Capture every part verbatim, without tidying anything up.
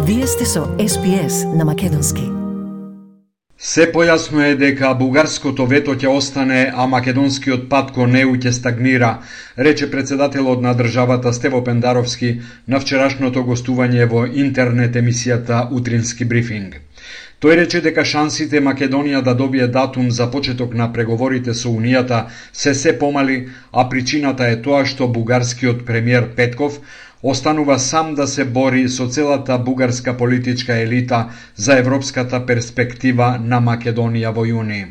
Вие сте со Ес Би Ес на македонски. Се појасно е дека бугарското вето ќе остане, а македонскиот пат кон Е У ќе стагнира, рече председателот на државата Стево Пендаровски на вчерашното гостување во интернет емисијата Утрински брифинг. Тој рече дека шансите Македонија да добие датум за почеток на преговорите со Унијата се се помали, а причината е тоа што бугарскиот премиер Петков останува сам да се бори со целата бугарска политичка елита за европската перспектива на Македонија во јуни.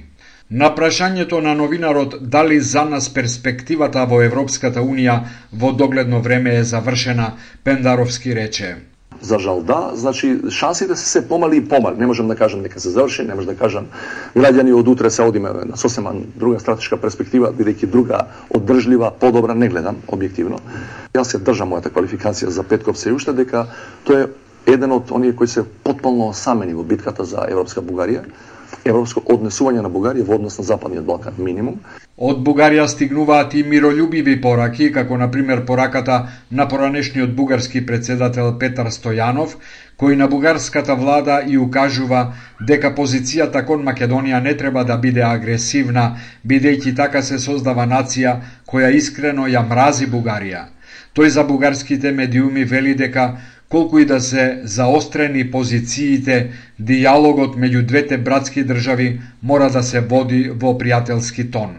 На прашањето на новинарот дали за нас перспективата во Европската Унија во догледно време е завршена, Пендаровски рече: За жал да, значи шансите се се помали и помали. Не можам да кажам дека се заврши, не можам да кажам граѓани од утре се одиме на сосема друга стратешка перспектива, бидејќи друга одржлива, подобра не гледам објективно. Јас се држам мојата квалификација за Петков се уште дека тој е еден од оние кои се потполно осамени во битката за европска Бугарија, европско однесување на Бугарија во однос на Западниот Балкан минимум. Од Бугарија стигнуваат и миролюбиви пораки, како на пример пораката на поранешниот бугарски председател Петар Стојанов, кој на бугарската влада и укажува дека позицијата кон Македонија не треба да биде агресивна, бидејќи така се создава нација која искрено ја мрази Бугарија. Тој за бугарските медиуми вели дека колку и да се заострени позициите, дијалогот меѓу двете братски држави мора да се води во пријателски тон.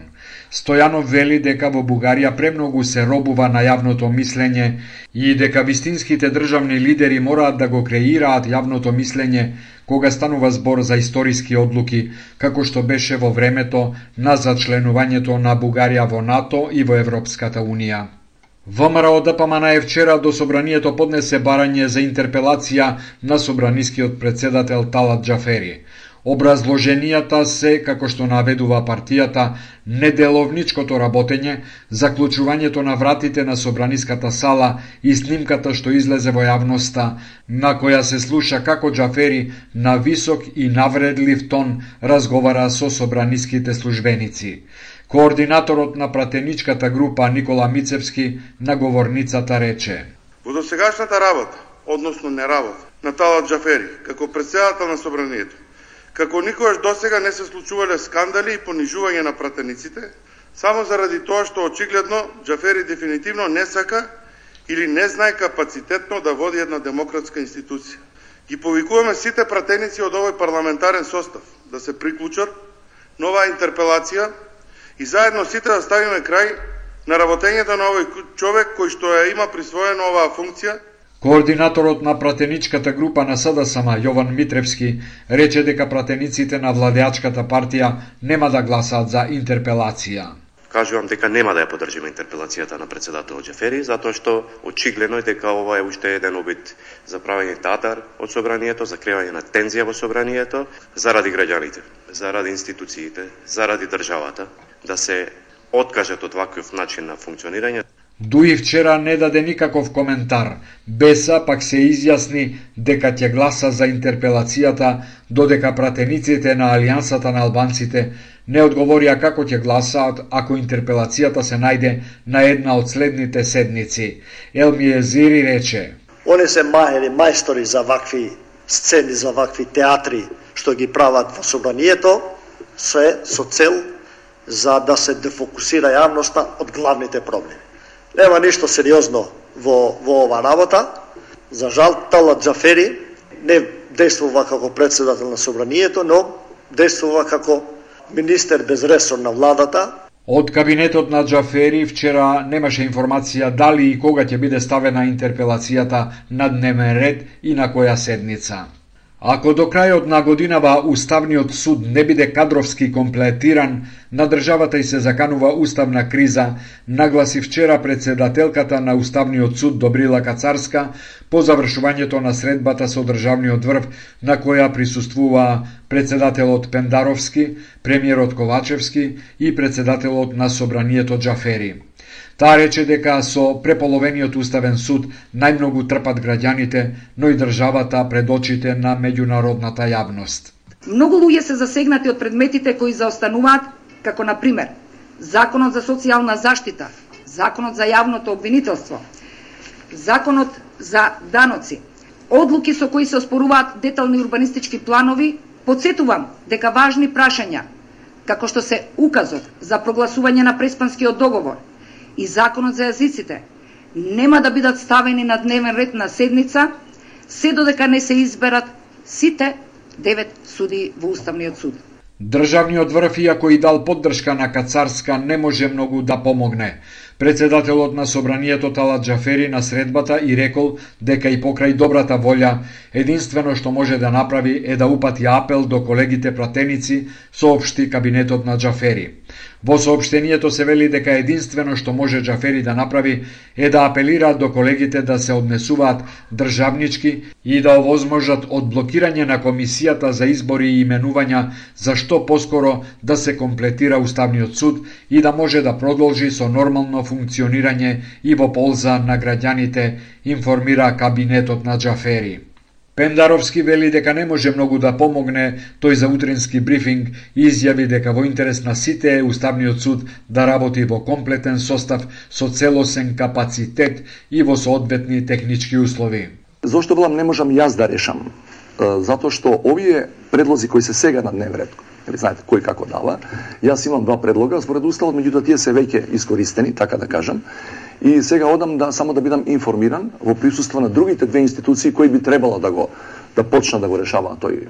Стојанов вели дека во Бугарија премногу се робува на јавното мислење и дека вистинските државни лидери мораат да го креираат јавното мислење кога станува збор за историски одлуки, како што беше во времето на зачленувањето на Бугарија во НАТО и во Европската Унија. ВМРО Д П М Н е вчера до собранието поднесе барање за интерпелација на собранискиот председател Талат Џафери. Образложенијата се, како што наведува партијата, неделовничкото работење, заклучувањето на вратите на собраниската сала и снимката што излезе во јавноста, на која се слуша како Џафери на висок и навредлив тон разговара со собраниските службеници. Координаторот на пратеничката група Никола Мицевски на говорницата рече: Во досегашната работа, односно неработа, на Талат Џафери, како председател на собранието, како никогаш досега не се случувале скандали и понижување на пратениците, само заради тоа што очигледно Џафери дефинитивно не сака или не знае капацитетно да води една демократска институција. Ги повикуваме сите пратеници од овој парламентарен состав да се приклучат на оваа интерпелација и заедно сите да ставиме крај на работењето на овој човек кој што ја има присвоена оваа функција. Координаторот на пратеничката група на С Д С М Јован Митревски рече дека пратениците на владеачката партија нема да гласаат за интерпелација. Кажувам дека нема да ја поддржиме интерпелацијата на председателот Џафери, затоа што очигледно е дека ова е уште еден обид за правење театар од собранието, за креање на тензија во собранието, заради граѓаните, заради институциите, заради државата, да се откажат од ваков начин на функционирање. Дуи вчера не даде никаков коментар, Беса пак се изјасни дека ќе гласа за интерпелацијата, додека пратениците на Алијансата на албанците не одговорија како ќе гласаат ако интерпелацијата се најде на една од следните седници. Елми Езири рече: Они се мајери, мајстори за вакви сцени, за вакви театри што ги прават во собранието, се со цел за да се дефокусира јавноста од главните проблеми. Нема ништо сериозно во, во ова работа. За жал, Талат Џафери не действува како председател на собранието, но действува како министер без ресор на владата. Од кабинетот на Џафери вчера немаше информација дали и кога ќе биде ставена интерпелацијата на дневен ред и на која седница. Ако до крајот на годинава Уставниот суд не биде кадровски комплетиран, на државата и се заканува уставна криза, нагласи вчера председателката на Уставниот суд Добрила Кацарска по завршувањето на средбата со државниот врв, на која присуствува председателот Пендаровски, премиерот Ковачевски и председателот на собранието Џафери. Таа рече дека со преполовениот уставен суд најмногу трпат граѓаните, но и државата пред очите на меѓународната јавност. Многу луѓе се засегнати од предметите кои заостануваат, како на пример Законот за социјална заштита, Законот за јавното обвинителство, Законот за даноци, одлуки со кои се оспоруваат детални урбанистички планови, потсетувам дека важни прашања, како што се указот за прогласување на Преспанскиот договор и законот за јазиците, нема да бидат ставени на дневен ред на седница, се додека не се изберат сите девет суди во Уставниот суд. Државниот врв, иако и дал поддршка на Кацарска, не може многу да помогне. Председателот на Собранието Талат Џафери на средбата и рекол дека и покрај добрата волја, единствено што може да направи е да упати апел до колегите пратеници, соопшти кабинетот на Џафери. Во соопштението се вели дека единствено што може Џафери да направи е да апелира до колегите да се однесуваат државнички и да овозможат одблокирање на комисијата за избори и именувања, за што поскоро да се комплетира Уставниот суд и да може да продолжи со нормално функционирање и во полза на граѓаните, информира кабинетот на Џафери. Пендаровски вели дека не може многу да помогне, тој за утрински брифинг изјави дека во интерес на сите е Уставниот суд да работи во комплетен состав со целосен капацитет и во соодветни технички услови. Зошто велам не можам јас да решам? Затоа што овие предлози кои се сега на дневен ред, знаете кој како дава, јас имам два предлога според уставот, меѓутоа тие се веќе искористени, така да кажам. И сега одам да само да бидам информиран во присуство на другите две институции кои би требало да го да почнат да го решаваат тој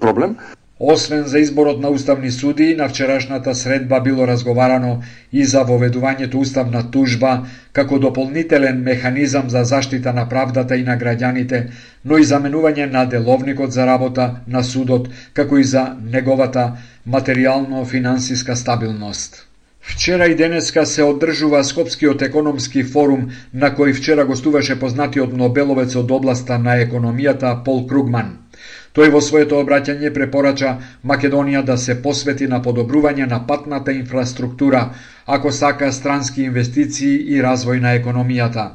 проблем. Освен за изборот на уставни суди, на вчерашната средба било разговарано и за воведувањето уставна тужба како дополнителен механизам за заштита на правдата и на граѓаните, но и заменување на деловникот за работа на судот, како и за неговата материјално-финансиска стабилност. Вчера и денеска се одржува Скопскиот економски форум, на кој вчера гостуваше познатиот нобеловец од областа на економијата Пол Кругман. Тој во своето обраќање препорача Македонија да се посвети на подобрување на патната инфраструктура, ако сака странски инвестиции и развој на економијата.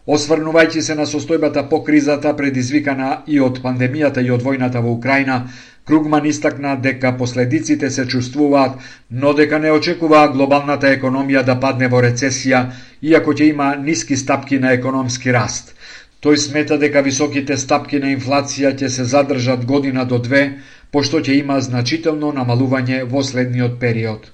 Осврнувајќи се на состојбата по кризата предизвикана и од пандемијата и од војната во Украина, Кругман истакна дека последиците се чувствуваат, но дека не очекува глобалната економија да падне во рецесија, иако ќе има ниски стапки на економски раст. Тој смета дека високите стапки на инфлација ќе се задржат година до две, пошто ќе има значително намалување во следниот период.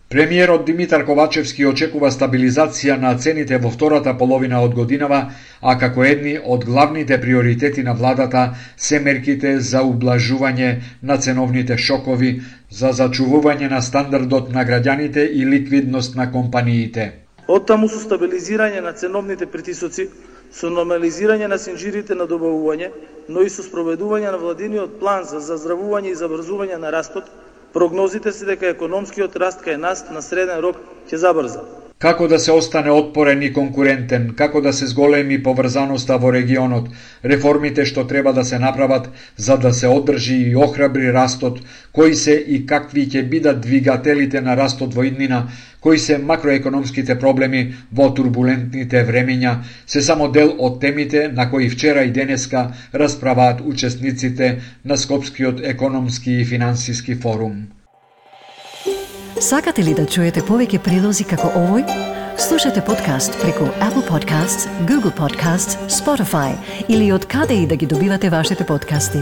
Премиерот Димитар Ковачевски очекува стабилизација на цените во втората половина од годинава, а како едни од главните приоритети на владата се мерките за ублажување на ценовните шокови, за зачувување на стандардот на граѓаните и ликвидност на компаниите. Оттаму со стабилизирање на ценовните притисоци, со нормализирање на синџирите на добавување, но и со спроведување на владиниот план за заздравување и забрзување на растот, прогнозите се дека економскиот раст кај нас на среден рок ќе забрза. Како да се остане отпорен и конкурентен, како да се зголеми поврзаноста во регионот, реформите што треба да се направат за да се одржи и охрабри растот, кои се и какви ќе бидат двигателите на растот во иднина, кои се макроекономските проблеми во турбулентните времења, се само дел од темите на кои вчера и денеска расправаат учесниците на Скопскиот економски и финансиски форум. Сакате ли да чуете повеќе прилози како овој? Слушате подкаст преку Apple Podcasts, Google Podcasts, Spotify или од каде и да ги добивате вашите подкасти.